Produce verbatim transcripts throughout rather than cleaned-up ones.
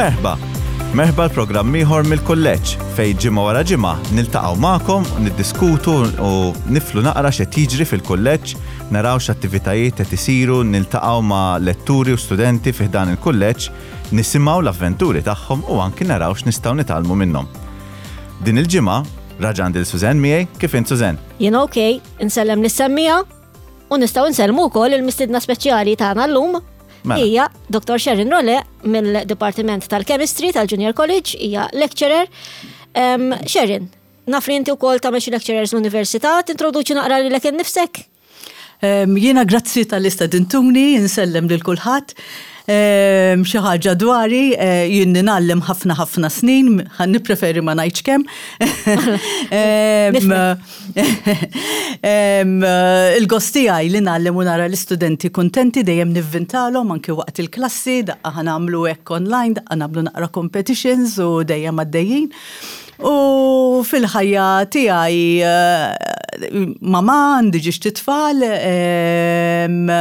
Merħba! Merħba l-programm ieħor mill-kulleġġ fejn ġimgħa wara ġimgħa niltaqgħu magħkom u niddiskutu u niflu naqra x'qed jiġri fil-kulleġġ, naraw x'attivitajiet qed isiru, niltaqgħu ma' letturi u studenti fi ħdan il-kulleġġ, nisimgħu l-avventuri tagħhom u anki naraw x'nistgħu nitgħallmu minnhom. Din il-ġimgħa raġa' għandi lil Suzanne miegħi, kif int, Suzanne? Jien ok, insellem lis-semmiegħa u nistgħu nsellmu wkoll il-mistidna speċjali tagħna llum. Mela. Hija Doktor Sharon Role mill-Dipartiment tal-Chemistry tal-Junior College, hija lecturer. Um, Sharon, naf li inti wkoll tagħmel xi lecturers l-università, tintroduċi naqra lilek innifsek? Um, Jiena grazzi talli stedintuni, insellem lil kulħadd. Um, Xi ħaġa dwari, eh, jien ngħallem ħafna ħafna snin, ħa nippreferi ma ngħidx kemm. Em, em, Il-gost tiegħi li ngħallem u nara l-istudenti kuntenti, dejjem nivvintalhom anki waqt il-klassi, daqqa ħa nagħmlu hekk online, daqqa nagħmlu naqra competitions u dejjem għaddejjin. U fil-ħajja tiegħi eh, mama, għandi żewġt itfal, em,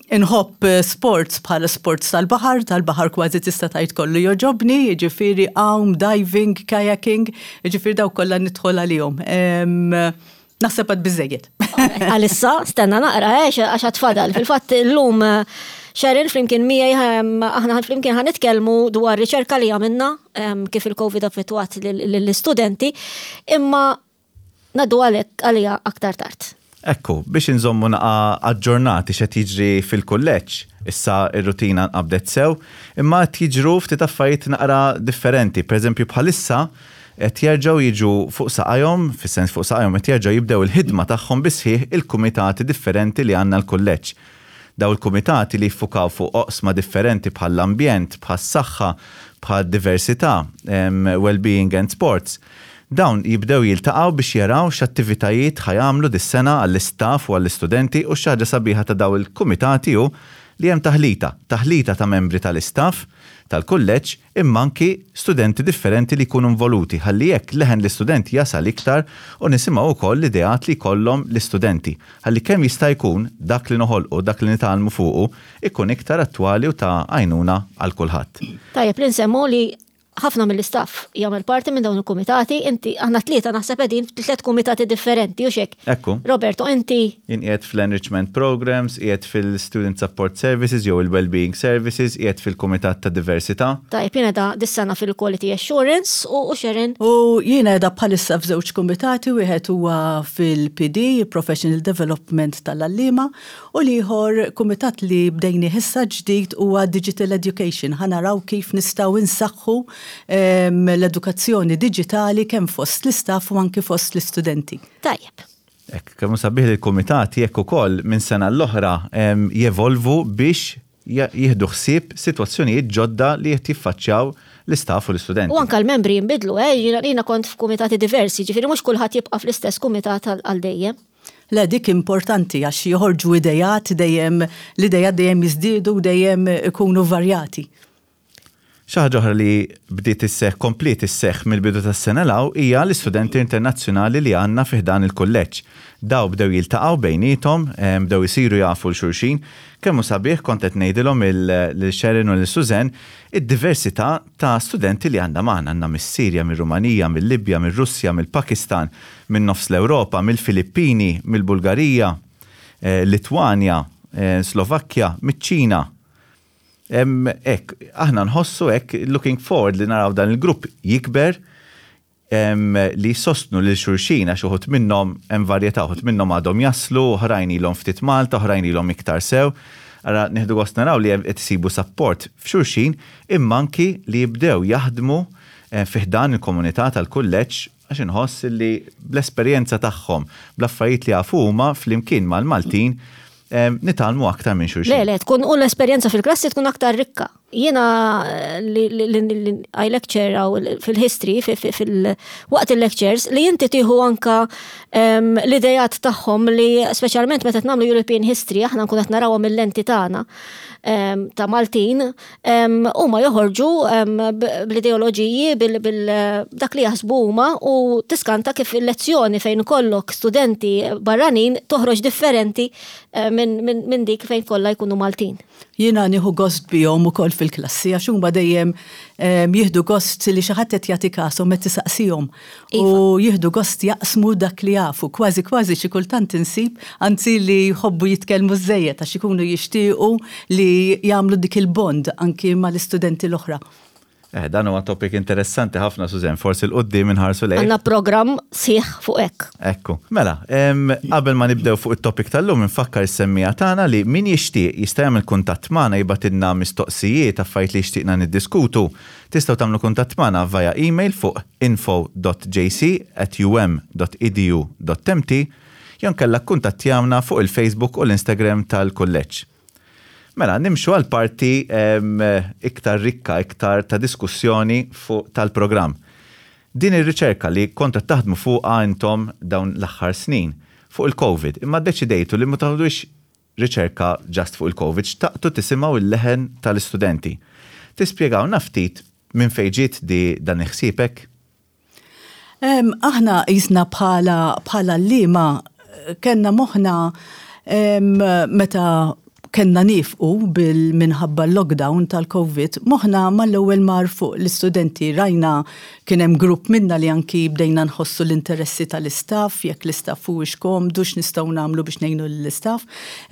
inħobb sports bħala sports tal-baħar, tal-baħar kważi tista' tgħid kollu jogħġobni, jiġifieri għawm, diving, kayaking, jiġifieri daw kollha nidħol għalihom. Em, Naħseb għad biżejjed. Għalissa, stenna naqra, eh, għax għad fadal. Fil-fatt illum eh, Sharon flimkien miegħi ehm, aħna flimkien ħa nitkellmu dwar riċerka li għamilna ehm, kif il-Covid affettwat lill-istudenti, imma ngħaddu għalek għalija aktar tard. Ekku, biex inżommu naqa aġġornati x'qed jiġri fil-kulleġġ, issa ir-rutina nqabdet sew, imma qed jiġru ftit affarijiet naqra differenti. Per eżempju, bħalissa qed jerġgħu jiġu fuq saqajhom, fis-sens fuq saqajhom, qed jerġgħu jibdew il-ħidma tagħhom bisħiħ il-kumitati differenti li għandna l-kulleġġ. Daw il-kumitati li jiffukaw fuq oqsma differenti bħall-ambjent, bħas-saħħa, bħal-diversità, em, well-being and sports. Dawn jibdew jiltaqgħu biex jaraw x'attivitajiet ħa jagħmlu dis-sena għall-istaff u għall-istudenti, u xi ħaġa sabiħa ta' daw il-kumitati hu li hemm taħlita, taħlita ta' membri tal-istaff tal-kulleġġ imma anki studenti differenti li jkunu involuti, ħalli jekk leħen l-istudenti jasal iktar u nisimgħu wkoll l-ideat li jkollhom l-istudenti. Ħalli kemm jista' jkun dak li noħolqu, dak li nitgħallmu fuqu ikun iktar attwali u ta' għajnuna għal kulħadd. Tajjeb li nsemmu li ħafna mill-istaff jagħmel parti minn dawn il-kumitati, inti, aħna tlieta naħseb qegħdin f'tliet kumitati differenti u xek. Ekku. Roberto, inti Jien qiegħed fl-Enrichment Programs, qiegħed fil-Student Support Services jew il-Wellbeing Services, qiegħed fil-Kumitat ta' Diversità. Tajjeb, jiena da dis-sena fil-Quality Assurance u, u Sharon? U jiena qiegħda bħalissa f'żewġ kumitati, wieħed huwa fil-P D, Professional Development tal-għalliema, u l-ieħor kumitat li bdejni issa ġdid huwa Digital Education. Ħa naraw kif nistgħu insaħħu em, l-edukazzjoni diġitali kemm fost l-istaff u anki fost l-istudenti. Tajjeb. Ekk, kemm sabiħ li l-kumitati jekk ukoll minn sena l-oħra em, jevolvu biex ja- jieħdu ħsieb sitwazzjonijiet ġodda li qed jiffaċċjaw l-istaff u l-istudenti. U anka l-membri jinbidlu, eh, jiena jiena kont f'kumitati diversi, ġifieri mhux kulħadd jibqa' fl-istess kumitat għal għal dejjem. Le, dik importanti għax joħorġu idejat dejjem, l-idejat dejjem jiżdiedu u dejjem ikunu varjati. Xi ħaġa oħra li bdiet isseħ, kompliet isseħ mill-bidu tas-sena 'l hawn hija l-istudenti internazzjonali li għandna fi ħdan il-kulleġġ. Daw bdew jiltaqgħu bejniethom, em, bdew isiru jafu 'l xulxin. Kemm hu sabiħ, kont qed ngħidilhom lil Sharon u lil Suzanne id-diversità ta' studenti li għandna magħna, għandna mis-Sirja, mir-Rumanija, mill-Libja, mir-Russja, mill-Pakistan, minn nofs l-Ewropa, mill-Filippini, mill-Bulgarija, eh, Litwanja, eh, Slovakkja, miċ-Ċina. Em, Ek, aħna nħossu ek, looking forward li naraw dan il-grupp jikber, em, li sostnu lil xulxin, għax uħud minnhom hemm varjetà, uħud minnhom għadhom jaslu, oħrajn ilhom ftit Malta, oħrajn ilhom iktar sew. Ara nieħdu gost naraw li qed isibu support f'xulxin imma anki li jibdew jaħdmu eh, fi ħdan il-komunità tal-kulleġġ, għax inħoss li bl-esperjenza tagħhom, bl-affarijiet li jafu huma flimkien mal-Maltin em, nitgħallmu aktar minn xulxin. Le, le, tkun u l-esperjenza fil-klassi tkun aktar rikka. Jiena eh, li, li, li, li I lecture aw fil-history, fil-waqt il-lectures, li inti tieħu anka em, l-idejat tagħhom li speċjalment meta nagħmlu European History, aħna nkun qed narawhom mill-lenti tagħna em, ta' Maltin, em, huma joħorġu em, b- bl-ideoloġiji, bil, bil dak li jaħsbu huma, u tiskanta kif il-lezzjoni fejn kollok studenti barranin toħroġ differenti eh, minn min, min dik fejn kollha jkunu Maltin. Jiena nieħu gost bihom ukoll. fil-klassi, għax huma dejjem jieħdu gost li xi ħadd qed jagħti kasom qed tisaqsihom. U jieħdu gost jaqsmu dak li jafu, kważi kważi xi kultant insib, anzi li jħobbu jitkellmu żejjed għax ikunu jixtiequ li jagħmlu dik il-bond anki mal-istudenti l-oħra. Eh, dan huwa topic interessanti ħafna, Susan, forsi 'l quddiem inħarsu lejn. Għandna program sħiħ fuq hekk. Ekku. Mela, qabel ma nibdew fuq it-topic tal-lum, nfakkar is-semmiegħa tagħna li min jixtieq jista' jagħmel kuntatt magħna, jibgħatilna mistoqsijiet, affarijiet li jixtieqna niddiskutu. Tistgħu tagħmlu kuntatt magħna via email fuq info dot J C at U M dot edu dot M T jew inkella kuntattjawna fuq il-Facebook u l-Instagram tal-kulleġġ. Mela, nimxu għal parti iktar rikka, iktar ta' diskussjoni fuq tal-programm. Din ir-riċerka li kontu taħdmu fuqha intom dawn l-aħħar snin fuq il-COVID, imma deċidejtu li ma taħdux riċerka just fuq il-COVID, xtaqtu tisimgħu il-leħen tal-istudenti. Tispjegawna ftit minn fejn ġiet di dan il-ħsieb? Aħna jisna bħala bħala lima kellna moħna meta kellna nieqfu bil-minħabba lockdown tal-Covid, moħna mal-ewwel mar fuq l-istudenti. Rajna kien hemm grupp minna li anki bdejna nħossu l-interessi tal-istaff, jekk l-istaff huwiex komdu, x'nistgħu nagħmlu biex ngħinu l-istaff.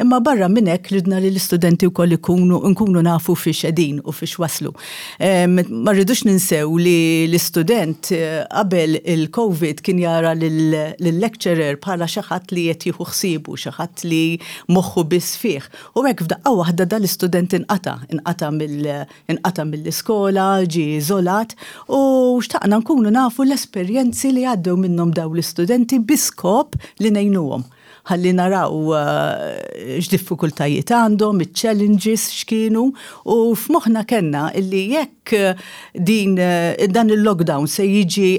Imma barra minn hekk ridna li l-istudenti wkoll ikunu nkunu nafu fiex qegħdin u fiex waslu. Ma rridux ninsew li l-istudent eh, qabel il-Covid kien jara lill-lecturer bħala xi ħadd li qed jieħu ħsiebu, xi ħadd li moħħu biss fih. U hekk f'daqqa waħda dal-istudent inqata, inqata mill- mill-iskola, ġi iżolat u xtaqna nkunu nafu l-esperjenzi li għaddew minnhom daw l-istudenti bi skop li ngħinuhom, ħalli naraw uh, x'diffikultajiet għandhom, il-challenges x'kienu, u f'moħħna kellna illi jekk din dan il-lockdown se jiġi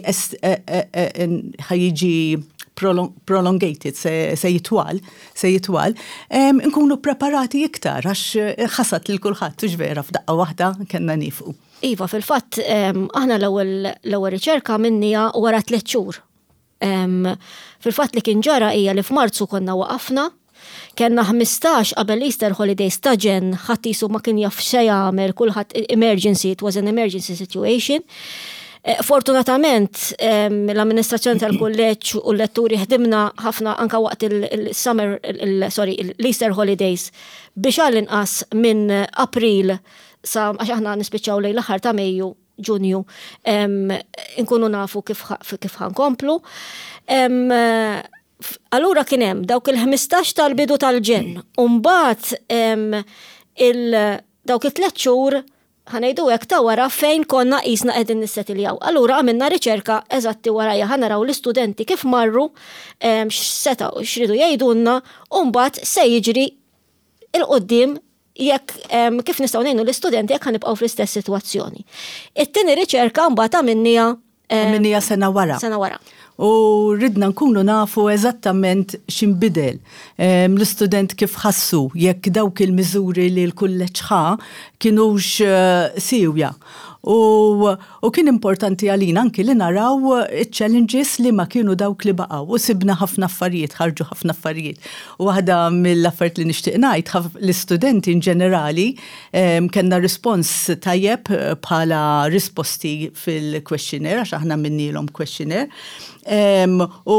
ħa jiġi prolongated, se, se jitwal, se jitwal, nkunu preparati iktar, għax ħasad lil kulħadd, tux vera, f'daqqa waħda kellna nieqfu. Iva, fil-fatt, aħna l-ewwel riċerka għamilnieha wara tliet xhur. Fil-fatt li kien ġara hija li f'Marzu konna waqafna, kellna ħmistax qabel Easter holidays ta' ġenn, ħadd qisu ma kien jaf x'se jagħmel, kulħadd emergency, it was an emergency situation. Eh, fortunatament, l-amministrazzjoni tal-kulleġġ u l-letturi ħdimna ħafna anka waqt il-summer, sorry, l-Easter holidays biex għall-inqas minn April sa għax aħna nispiċċaw lejn l-aħħar ta' Mejju, Ġunju, nkunu nafu kif ħa nkomplu. Allura kien hemm dawk il-ħmistax tal-bidu tal-ġenn, u mbagħad dawk it-tliet xhur, ħa ngħidu hekk, ta' wara fejn konna qisna qegħdin nissetiljaw. Allura għamilna riċerka eżatti warajja ħa naraw l-istudenti kif marru, x'setgħu x'ridu jgħidulna u mbagħad se jiġri 'l quddiem jekk kif nistgħu ngħinu l-istudenti jekk ħa nibqgħu fl-istess sitwazzjoni. It-tieni riċerka mbagħad għamilnieha Għamilnieha sena wara. Sena wara. U ridna nkunu nafu eżattament x'inbidel. L-istudent kif ħassu, jekk dawk il-miżuri li l-kulleġġ ħa kienux eh, siewja. U, u kien importanti għalina anki li naraw challenges li ma kienu dawk li baqgħu. U sibna ħafna affarijiet, ħarġu ħafna affarijiet. U waħda mill-affarijiet li nixtieq ngħid, l-istudenti in ġenerali kellna rispons tajjeb eh, bħala risposti fil-questionnaire, għax aħna għamilnielhom questionnaire. U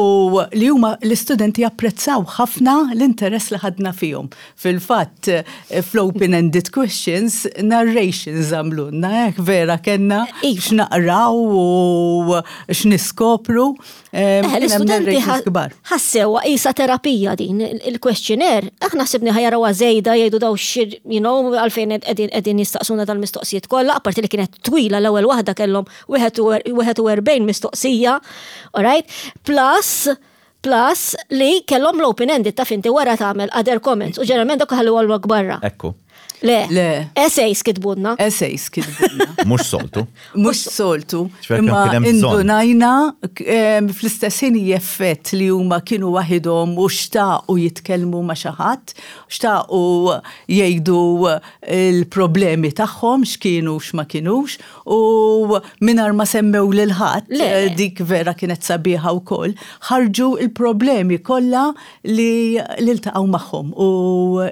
li huma l-istudenti apprezzaw ħafna l-interess li ħadna fihom. Fil-fatt, eh, fl-open-ended questions, narrations għamlulna, hekk vera kellna Iva. x'naqraw u x'niskopru. Eh, l-istudenti ħassew qisha terapija din il-questionnaire. Aħna ħsibna ħa jarawha żejda, jgħidu daw xir, you know, għalfejn qegħdin jistaqsuna dal-mistoqsijiet kollha, apparti li kienet twila, l-ewwel waħda kellhom wieħed u erbgħin mistoqsija, alright? Plus plus li kellhom l-open-ended ta' finti wara tagħmel other comments u ġeneralment dak ħallu għal barra. Ekku. Le. Le. Essays kitbulna. Essays kitbulna. Mhux soltu. Mhux soltu. Ċverkem Imma kien hemm bżonn. indunajna em, fl-istess ħin effett li huma kienu waħidhom u xtaqu jitkellmu ma' xi ħadd, xtaqu jgħidu il-problemi tagħhom x'kienu, x'ma kienux, u mingħajr ma semmew lil ħadd, Le. eh, dik vera kienet sabiħa wkoll, ħarġu il-problemi kollha li li ltaqgħu magħhom u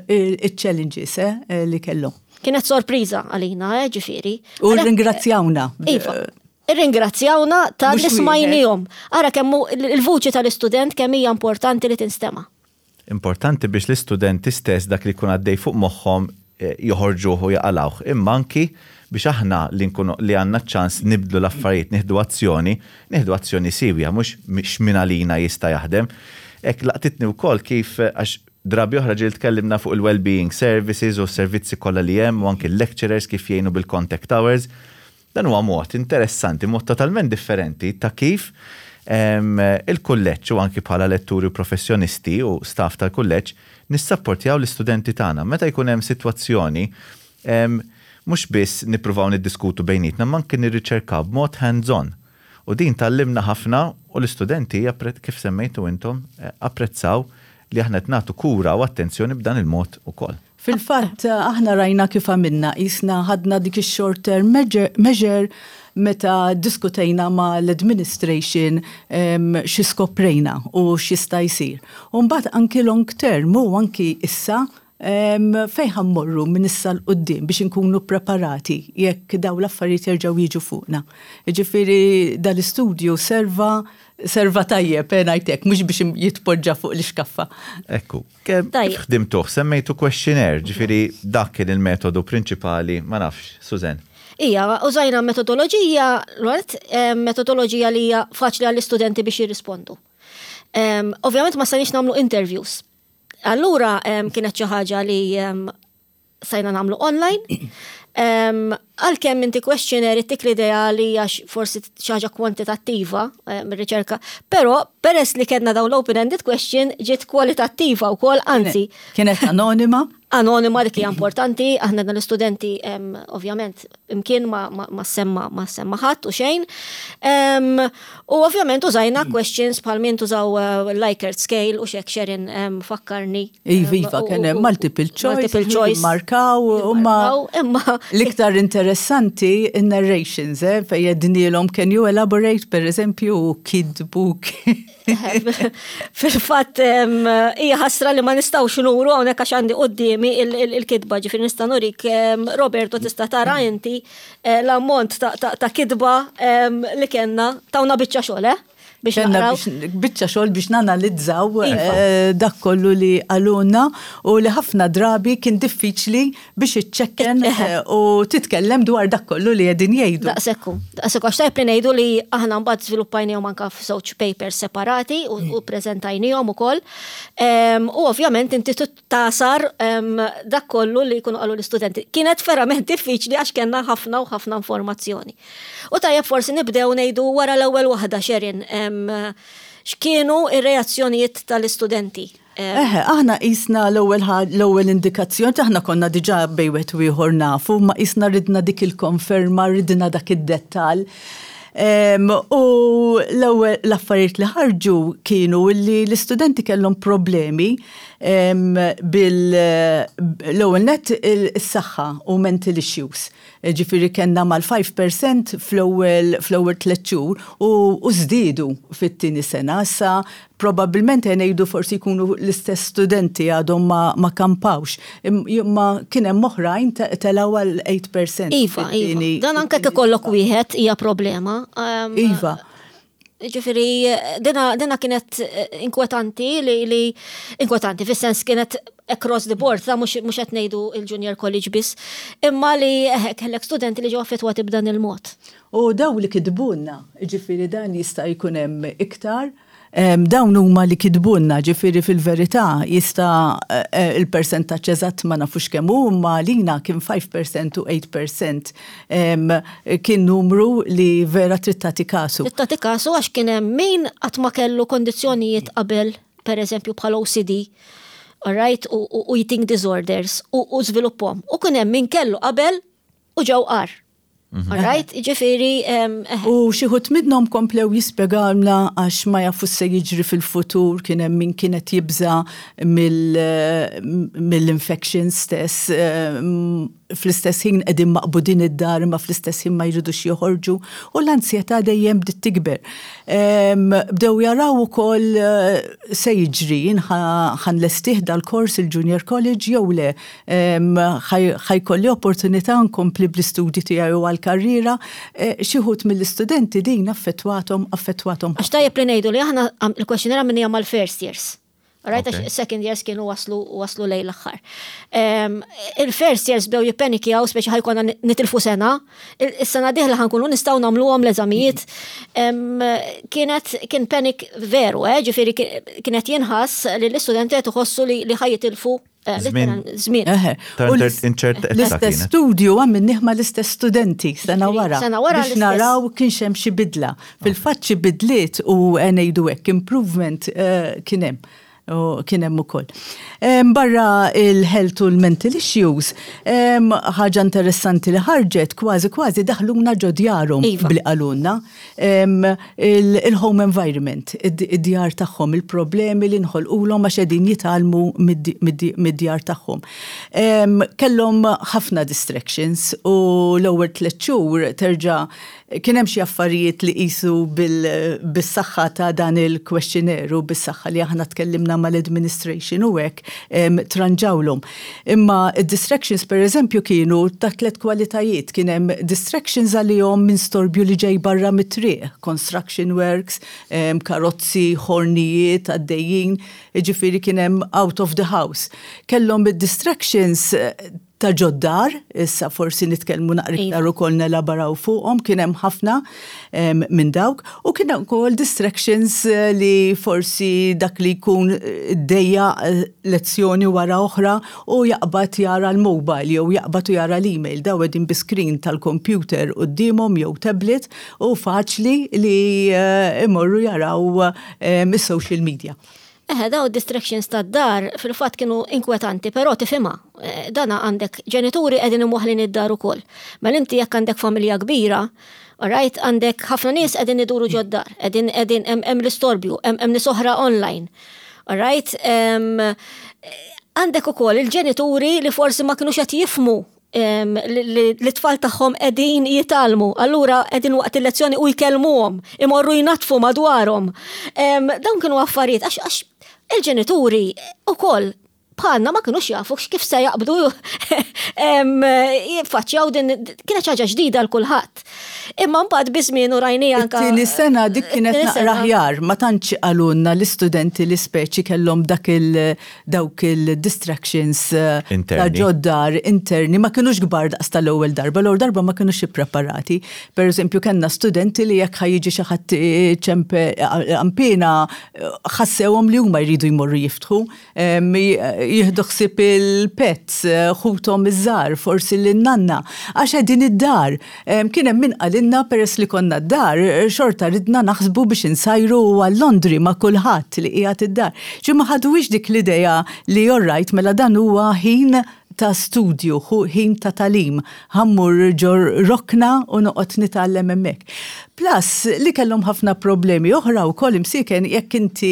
il-challenges eh, li kellhom. Kienet sorpriża għalina, eh, ġifieri. U ringrazzjawna. Iva. Irringrazzjawna talli smajnihom. Ara kemm il-vuċi tal-istudent kemm hija importanti li tinstema'. Importanti biex l-istudenti stess dak li jkun għaddej fuq moħħhom eh, joħorġuh u jaqalawh. Imma anki biex aħna li nkunu li għandna ċans nibdlu l-affarijiet, nieħdu azzjoni, nieħdu azzjoni siewja, mhux x'min għalina jista' jaħdem. Ek laqtitni wkoll kif, għax drabi oħra ġieli tkellimna fuq il-well-being services u s-servizzi kollha li hemm u anki l-lecturers kif jgħinu bil-contact hours. Dan huwa mod interessanti, mod totalment differenti ta' kif il-kulleġġ u anki bħala letturi professjonisti u staff tal-kulleġġ nissapportjaw l-istudenti tagħna. Meta jkun hemm sitwazzjoni, mhux biss nippruvaw niddiskutu bejnietna, ma anki nirriċerkaw b'mod hands-on. U din tgħallimna ħafna u l-istudenti, kif semmejtu intom, eh, apprezzaw li aħna qed nagħtu kura u attenzjoni b'dan il-mod ukoll. Fil-fatt, aħna rajna kif għamilna, jisna ħadna dik il-short term measure meta diskutejna ma l-administration xi skoprejna u x'jista' jsir. U mbagħad anki long term u anki issa fejn ħa mmorru minn issa 'l quddiem biex inkunu preparati jekk daw l-affarijiet jerġgħu jiġu fuqna. Ġifieri dal-istudju serva serva tajjeb, eh, ngħidlek, mhux biex jitpoġġa fuq l-iskaffa. Ekku, kif ħdimtuh, semmejtu questionnaire, ġifieri dak kien il-metodu prinċipali, ma nafx, Susan. Ija, użajna metodoloġija, metodoloġija li hija faċli għall-istudenti biex jirrispondu. Ovvjament ma stajniex nagħmlu interviews. Allura kienet xi ħaġa li stajna nagħmlu online. Għalkemm inti questionnaire ittik l-idea li hija forsi xi ħaġa kwantitattiva mir-riċerka, però peress li kellna dawn l-open-ended question ġiet kwalitattiva wkoll, anzi. Kienet anonima? Anonima, dik hija importanti, aħna dan l-istudenti ovvjament imkien ma, ma, ma semma ma semma ħadd u xejn. U ovvjament użajna questions bħal min tużaw uh, Likert scale u xek Sharon fakkarni. Iva, iva, kien hemm multiple choice, multiple choice. Markaw, imma imma l-iktar interessanti in-narrations, eh, fejn għednielhom "Can you elaborate?" per eżempju, kitbu. Fil-fatt hija ħasra li ma nistgħux nuru hawnhekk għax għandi quddiemi il-kitba, ġifieri nista' nurik, Roberto, tista' tara inti eh, l-ammont ta' kitba li kellna tawna biċċa xogħol, eh? Biex naqraw. Biċċa xogħol biex nanalizzaw iva. eh, dak kollu li qalulna u li ħafna drabi kien diffiċli biex iċċekken eh, u titkellem dwar dak kollu li qegħdin jgħidu. Daqsekku, daqsekku, għax tajb li ngħidu li aħna mbagħad żviluppajnihom anka f'żewġ papers separati u u preżentajnihom ukoll. Em, U ovvjament inti tasar em, dak kollu li jkunu qalu l-istudenti. Kienet verament diffiċli għax kellna ħafna u ħafna informazzjoni. U tajjeb forsi nibdew ngħidu wara l-ewwel waħda, Sharon, em, x'kienu ir-reazzjonijiet tal-istudenti? Em, Eħe, aħna qisna l-ewwel l-ewwel indikazzjoni, aħna konna diġà bejn wieħed u ieħor nafu, ma qisna ridna dik il-konferma, ridna dak id-dettal. Em, u l-ewwel l-affarijiet li ħarġu kienu li l-istudenti kellhom problemi em, bil l-ewwel net is-saħħa u mental issues. Ġifieri kellna mal-five percent fl-ewwel fl-ewwel tliet xhur u u żdiedu fit-tieni sena. Issa probabbilment ngħidu forsi jkunu l-istess studenti għadhom ma, ma kampawx. Imma kien hemm oħrajn telgħu għal eight percent. Iva, iva. Dan anke ikollok wieħed hija problema. Um, Iva. Ġifieri, dina, dina kienet eh, inkwetanti li, li inkwetanti, fis-sens kienet across the board, ta' mhux mhux qed ngħidu il-junior college biss, imma li eh, kellek studenti li ġew affettwati b'dan il-mod. U daw li kitbulna, ġifieri dan jista' jkun hemm iktar, em, dawn huma li kitbulna, ġifieri fil-verità jista' eh, il-percentaġġ eżatt ma nafux kemm hu, imma lina kien five percent u eight percent em, kien numru li vera trid tagħti kasu. Trid tagħti kasu għax kien hemm min qatt ma kellu kondizzjonijiet qabel, per eżempju bħal O C D, alright, u, u, u eating disorders, u, u żviluppahom. U kien hemm min kellu qabel u ġew agħar. Alright, ġifieri, em, eh, U xi wħud minnhom komplew jispjegawna għax ma jafu se jiġri fil-futur, kien hemm min kienet jibża mill-infection stess, eh, fl-istess ħin qegħdin maqbudin id-dar, ma fl-istess ħin ma jridux joħorġu, u l-ansjetà dejjem bdiet tikber. Bdew jaraw ukoll eh, se jiġri, ħa nlestih dal-kors il-Junior College jew le, ħa jkolli opportunità nkompli bl-istudji tiegħi u għal-karriera, eh, xi wħud mill-istudenti din affettwathom affettwathom. Għax tajjeb li ngħidu li aħna il-questionnaire għamilnieh mal-first years. Right, għax second years kienu waslu waslu lejn l-aħħar. Il-first years bdew jippenikjaw, speċi ħa jkollna nitilfu sena, is-sena dieħla ħa nkunu nistgħu nagħmluhom l-eżamijiet. Kienet kien panic veru, eh, ġifieri kienet jinħass li l-istudenti qed iħossu li ħa jitilfu eh, żmien. L-istess studju għamilnieh mal-istess studenti sena wara. Sena wara. Biex naraw kienx hemm xi bidla. Fil-fatt xi bidliet u ngħidu hekk improvement eh, kien hemm u kien hemm ukoll. Barra il-health u l-mental issues, ħaġa interessanti li ħarġet, kważi kważi daħluna ġo djarhom Iva. bli qalulna il-home environment, id-djar tagħhom, il-problemi li nħolqulhom għax qegħdin jitgħallmu mid-djar tagħhom. Kellhom ħafna distractions u l-ewwel tliet xhur terġa' kien hemm xi affarijiet li qisu bis-saħħa ta' dan il-questionnaire u bis-saħħa li aħna tkellimna mal-administration u hekk tranġawlhom. Imma distractions, per eżempju, kienu ta' tliet kwalitajiet. Kien hemm distractions għalihom minn storbju li ġej barra mit-triq, construction works, karozzi, ħornijiet għaddejjin, ġifieri kien hemm out of the house. Kellhom distractions ta' ġod-dar, issa forsi nitkellmu naqra iktar ukoll nelabaraw fuqhom, kien hemm ħafna minn dawk, u kien hemm ukoll distractions eh, li forsi dak li jkun dejja eh, lezzjoni wara oħra u jaqbad jara l-mobile jew jaqbad u jara l-email, daw qegħdin bi screen tal-computer quddiemhom jew tablet u faċli li eh, imorru jaraw is-social media. Eħe, daw distractions ta' dar fil-fat kienu inkwetanti, pero tifhimha. Eh, dana għandek ġenituri qegħdin imwaħlin id-dar ukoll. Mela inti jekk għandek familja kbira, alright, għandek ħafna nies qegħdin iduru ġod-dar, qegħdin qegħdin hemm l-istorbju, hemm nies oħra online. Alright, għandek ukoll il-ġenituri li forsi ma kinux qed jifhmu li l-tfal tagħhom qegħdin jitgħallmu. Allura qegħdin waqt il-lezzjoni u jkellmuhom, imorru jnatfu madwarhom. Dawn kienu affarijiet għax il-ġenituri ukoll bħalna ma kinux jafu kif se jaqbdu jiffaċċjaw din, kienet ħaġa ġdida l kulħadd. Imma mbagħad biż-żmien u rajni anka. Tieni sena dik kienet naqra aħjar, ma tantx qalulna l-istudenti li speċi kellhom dak il dawk il-distractions eh, ta' ġod-dar interni, ma kinux kbar daqs tal-ewwel darba, l-ewwel darba ma kinux ippreparati. Per eżempju, kellna studenti li jekk ħa jiġi xi ħadd ċempe ampina, ħassewhom li huma jridu jmorru jiftħu, jieħdu ħsieb il-pets, ħuthom iż-żgħar, forsi l-nanna, għax qegħdin id-dar. Kien hemm min qalilna, peress li konna d-dar, xorta ridna naħsbu biex insajru għal-laundry ma' kulħadd li qiegħed id-dar. Ġi ma ħaduwix dik l-idea li alright, mela dan huwa ħin ta' studju, ħin ta' tagħlim, ħa mmur ġo rokna u noqgħod nitgħallem hemmhekk. Plus li kellhom ħafna problemi oħra wkoll imsiken, jekk inti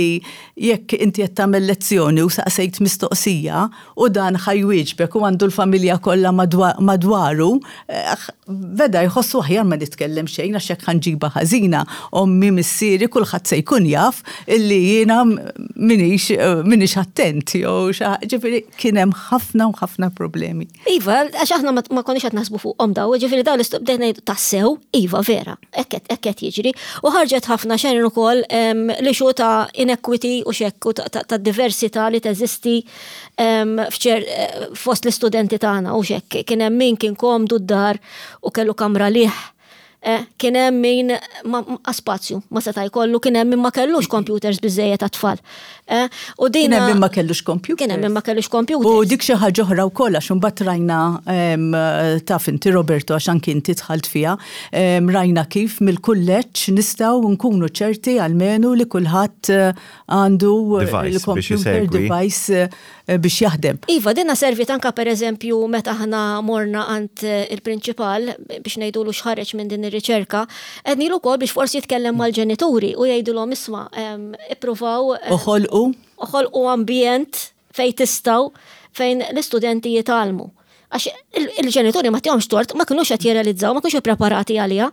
jekk inti qed tagħmel lezzjoni u saqsejt mistoqsija u dan ħa jwieġbek u għandu l-familja kollha madwaru, eh, beda jħossu aħjar ma nitkellem xejn għax jekk ħa nġibha ħażina, ommi, missieri, kulħadd se jkun jaf illi jiena minix minix attent jew ġifieri kien hemm ħafna u ħafna problemi. Iva, għax aħna ma konniex qed naħsbu fuqhom daw, ġifieri daw l-bdejna tassew, iva vera, hekk qed jiġri. U ħarġet ħafna xejn ukoll li xu ta' inequity u xekku ta' diversità li teżisti fost l-istudenti tagħna u xekk. Kien hemm min kien komdu d-dar u kellu kamra lih. Eh, kien hemm min ma spazju ma seta' jkollu, kien hemm min ma kellux computers biżejjed għat-tfal. Eh, u dina kien hemm min ma kellux computers. Kien hemm min ma kellux computers. U dik xi ħaġa oħra wkoll, għax imbagħad rajna, taf inti, Roberto, għax anki inti dħalt fiha, rajna kif mill-kulleġġ nistgħu nkunu ċerti almenu li kulħadd eh, għandu il-computer device eh, biex jaħdem. Iva, dinna servit anka, per eżempju, meta aħna morna għand il-prinċipal biex ngħidulu x'ħareġ minn din ir-riċerka, għednilu wkoll biex forsi jitkellem mal-ġenituri u jgħidulhom, isma', ippruvaw Oħolqu. Oħolqu ambjent fejn tistgħu fejn l-istudenti jitgħallmu. Għax il-ġenituri ma tihomx tort, ma kinux qed jirrealizzaw, ma kinux preparati għaliha.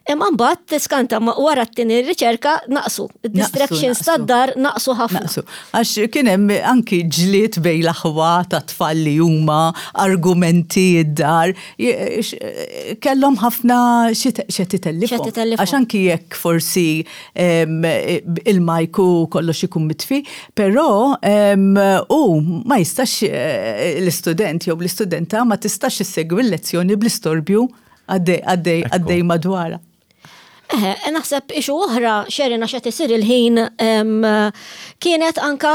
Imma mbagħad tiskanta ma wara t-tieni riċerka naqsu. Id-distractions tad-dar naqsu ħafna. Naqsu. Għax kien hemm anki ġlied bejn l-aħwa ta' tfal li huma argumenti id-dar. Kellhom ħafna xi titellifhom. Għax anki jekk forsi il-mic u kollox ikun mitfi, però u ma jistax eh, l-istudent jew l-istudenta ma tistax issegwi l-lezzjoni bl-istorbju għaddej għaddej għaddej madwarha. Eħe, naħseb issue oħra xerina xed isir il-ħin kienet anka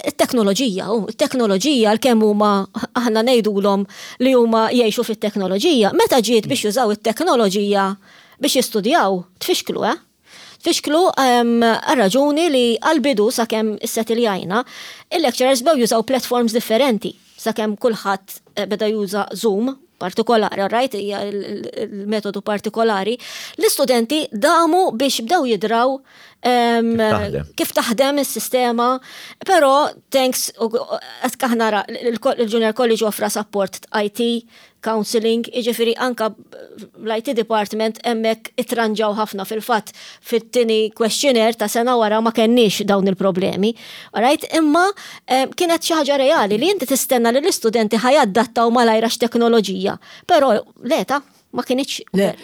t-teknoloġija. U t-teknoloġija l-kemm huma aħna ngħidulhom li huma jgħixu fit-teknoloġija. Meta ġiet biex jużaw it-teknoloġija biex jistudjaw, tfixklu, eh? Tfixklu għal-raġuni li għal-bidu sakemm issettiljajna, il-lecturers bdew jużaw platforms differenti sakemm kulħadd eh, beda juża Zoom partikolari, right, hija il-metodu partikolari, l-istudenti damu biex bdew jidraw kif taħdem is-sistema, però thanks qed nara il-Junior College offra support I T, counseling, jiġifieri anka l-I T department hemmhekk itranġaw ħafna. Fil-fatt fit-tieni questionnaire ta' sena wara ma kenniex dawn il-problemi. Alright, imma kienet xi ħaġa reali li inti tistenna li l-istudenti ħa jadattaw malajr teknoloġija, però le ta' ma kinitx. Le,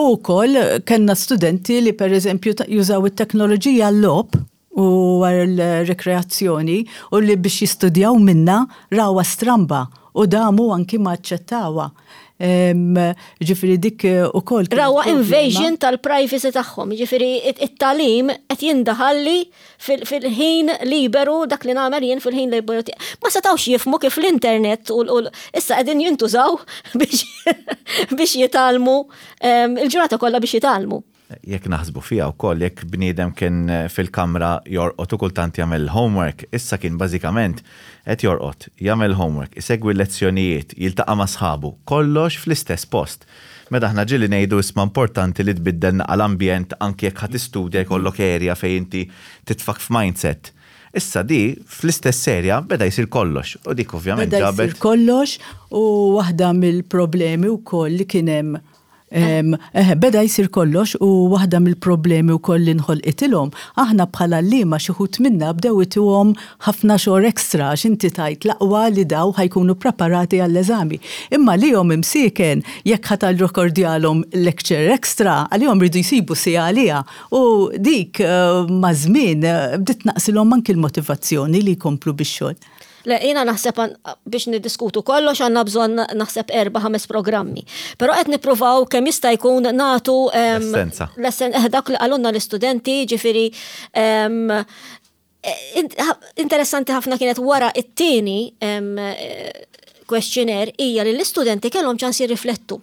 u koll kellna studenti li per eżempju jużaw it-teknoloġija l-logħob u l-rekreazzjoni u li biex jistudjaw minna rawha stramba u damu anki ma aċċettawha. Ġifieri dik u koll. Rawha invasion tal-privacy tagħhom, ġifieri it-tagħlim qed jindaħalli fil-ħin liberu, dak li nagħmel jien fil-ħin liberu. Ma setawx jifhmu kif l-internet u issa qegħdin jintużaw biex jitgħallmu il-ġurnata kollha biex jitgħallmu. Jekk naħsbu fija wkoll, jekk bniedem kien fil-kamra jorqod u kultant jagħmel homework, issa kien bażikament qed jorqod, jagħmel homework, isegwi lezzjonijiet, jiltaqa' ma' sħabu, kollox fl-istess post. Meta aħna ġieli ngħidu, isma', importanti li tbiddel l-ambjent anke jekk ħa tistudja, jkollok area fejn inti titfak f'mindset. Issa di fl-istess area beda jsir kollox u dik ovvjament Beda jsir kollox u waħda mill-problemi wkoll li kien hemm Eh, beda jisir kollox u waħda mill-problemi u koll li nħolqitilhom, aħna bħala li ma xi wħud minna bdew ituhom ħafna xogħol extra għax inti tgħid l-aqwa li daw ħa jkunu preparati għall-eżami. Imma li jom imsiken jekk ħa tirrekordjalhom lecture extra, għalihom ridu jsibu si għalija u dik eh, ma' żmien eh, bdiet naqsilhom anki l-motivazzjoni li jkomplu bix-xogħol. Le, jiena naħseb biex niddiskutu kollox għandna bżonn naħseb erba' ħames programmi. Però qed nippruvaw kemm jista' jkun nagħtu l-essenza. Eh, dak li qalulna l-istudenti, ġifieri interessanti ħafna kienet wara it-tieni questionnaire hija li l-istudenti kellhom ċans jirriflettu.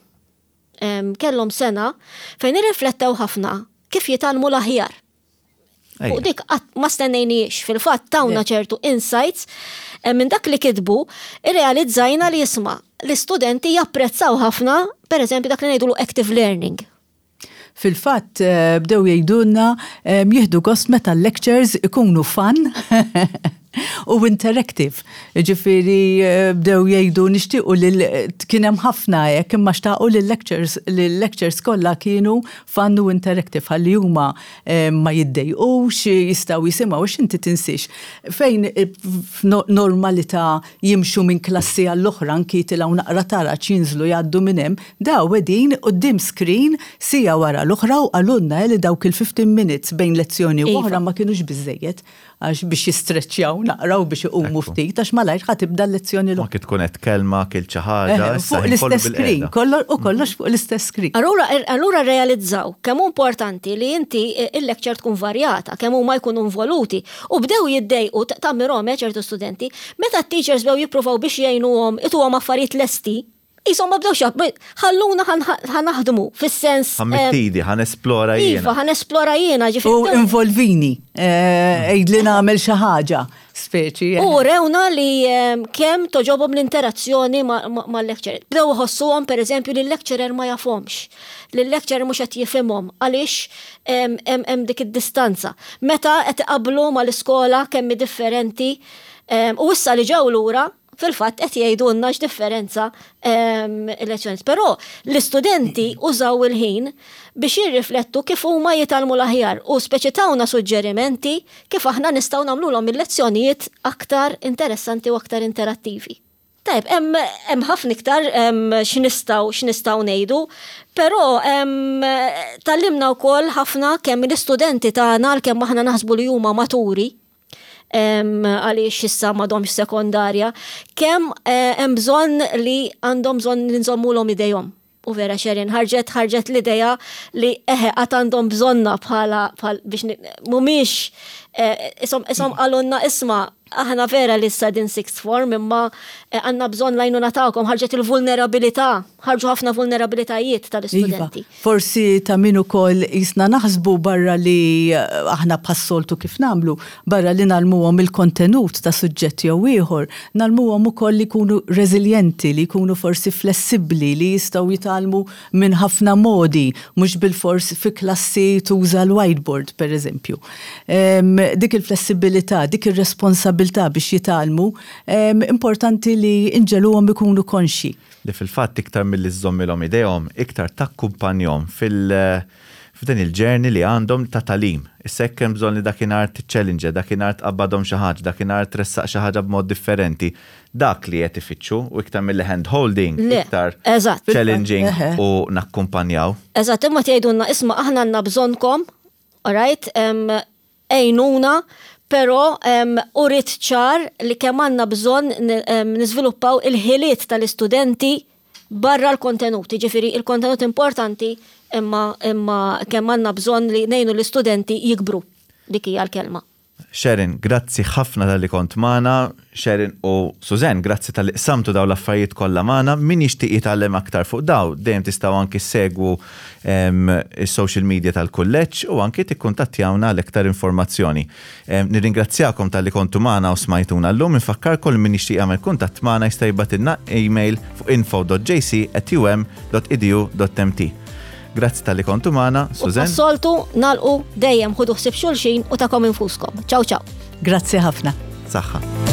Kellhom sena fejn irriflettew ħafna kif jitgħallmu l-aħjar. U dik ma stennejniex, fil-fatt tawna ċertu insights eh, minn dak li kitbu, irrealizzajna li, jisma', l-istudenti japprezzaw ħafna, per eżempju, dak li ngħidulu active learning. Fil-fatt eh, bdew jgħidulna eh, jieħdu gost meta l-lectures ikunu fun u interactive. Ġifieri eh, bdew jgħidu nixtiequ li kien hemm ħafna hekk, imma xtaqu li l-lectures li l-lectures kollha kienu fun u interactive ħalli huma ma jiddejqux, jistgħu jisimgħu, għax inti tinsix fejn f'normalità jimxu minn klassi għall-oħra, anki tilgħu naqra taraġ, jinżlu, jgħaddu minn hemm, daw qegħdin quddiem screen siegħa wara l-oħra u qalulna li dawk il-fifteen minutes bejn lezzjoni u iva. oħra ma kienux biżejjed għax biex jistreċċjaw naqraw biex iqumu ftit għax malajr ħa tibda l-lezzjoni l Ma tkun qed kelma kil xi ħaġa. Fuq l-istess screen, u kollox fuq l-istess screen. Allura allura realizzaw kemm hu importanti li inti il-lecture tkun varjata, kemm huma jkunu involuti u bdew jiddejqu tammirhom eh, ċertu studenti meta t-teachers bdew jippruvaw biex jgħinuhom ituhom affarijiet lesti. Jisom ma bdewx ħalluna ħa naħdmu, fis-sens. Ħa mmidd idi, ħa nesplora jiena. Iva, ħa nesplora jiena. U involvini, eh, għidli nagħmel xi ħaġa, speċi. U rewna li kemm togħġobhom l-interazzjoni mal-lecturer. Bdew ħossuhom, per eżempju, li l-lecturer ma jafhomx. Li l-lecturer mhux qed jifhimhom għaliex hemm dik id-distanza. Meta qed iqablu mal-iskola kemm differenti u issa li ġew lura Fil-fatt qed jgħidulna x'differenza il-lezzjoni. Però l-istudenti użaw il-ħin biex jirriflettu kif huma jitgħallmu l-aħjar u speċi tawna suġġerimenti kif aħna nistgħu nagħmluhom il-lezzjonijiet aktar interessanti u aktar interattivi. Tajb, hemm ħafna iktar x'nistgħu x'nistgħu ngħidu, però tgħallimna wkoll ħafna kemm l-istudenti tagħna kemm aħna naħsbu li huma maturi għaliex issa m'għadhomx sekondarja, kemm eh, hemm bżonn li għandhom bżonn li nżommulhom idejhom. U vera, Sharon, ħarġet ħarġet l-ideja li eħe għad għandhom bżonna bħala biex mhumiex eh, isom isom qalulna, "Isma', aħna vera li issa din sixth form, imma eh, għandna bżonn l-għajnuna tagħkom." Ħarġet il-vulnerabilità, ħarġu ħafna vulnerabilitajiet tal-istudenti. Iva, forsi ta' min ukoll jisna naħsbu barra li eh, aħna bħas-soltu kif nagħmlu, barra li ngħallmuhom il-kontenut ta' suġġett jew ieħor, ngħallmuhom ukoll li jkunu reżiljenti, li jkunu forsi flessibbli, li jistgħu jitgħallmu minn ħafna modi, mhux bil-fors fi klassi tuża l-whiteboard, per eżempju. Dik il-flessibilità, dik ir-responsabilità biex jitgħallmu, importanti li nġegħluhom ikunu konxji. Li fil-fatt iktar milli żżommilhom idejhom, iktar takkumpanjahom fil- f'dan il-journey li għandhom ta' tagħlim. Issa hekk hemm bżonn li dakinhar tiċċellinġja, dakinhar tqabbadhom xi ħaġa, dakinhar tressaq xi ħaġa b'mod differenti. Dak li qed ifittxu u iktar mill hand holding, iktar challenging u nakkumpanjaw. Eżatt, imma tgħidulna, "Isma', aħna għandna bżonnkom, alright, għinuna," però uriet ċar li kemm għandna bżonn niżviluppaw il-ħiliet tal-istudenti barra l-kontenut. Ġifieri il-kontenut importanti, imma imma kemm għandna bżonn li ngħinu l-istudenti jikbru. Dik hija l-kelma. Sharon, grazzi ħafna talli kont magħna. Sharon u Suzanne, grazzi talli qsamtu daw l-affarijiet kollha magħna. Min jixtieq jitgħallem aktar fuq daw, dejjem tistgħu anki segwu is-social media tal-kulleġġ u anki tikkuntattjawna għal iktar informazzjoni. Nirringrazzjakom talli kontu magħna u smajtuna llum. Infakkarkom min jixtieq jagħmel kuntatt magħna jista' jibgħatilna email fuq info dot J C at U M dot edu dot M T. Grazzi talli kontu magħna, Suzanne. Soltu nagħlqu dejjem, ħudu ħsieb xulxin u tagħkom infuskom. Ciao ciao. Grazzi ħafna. Saħħa.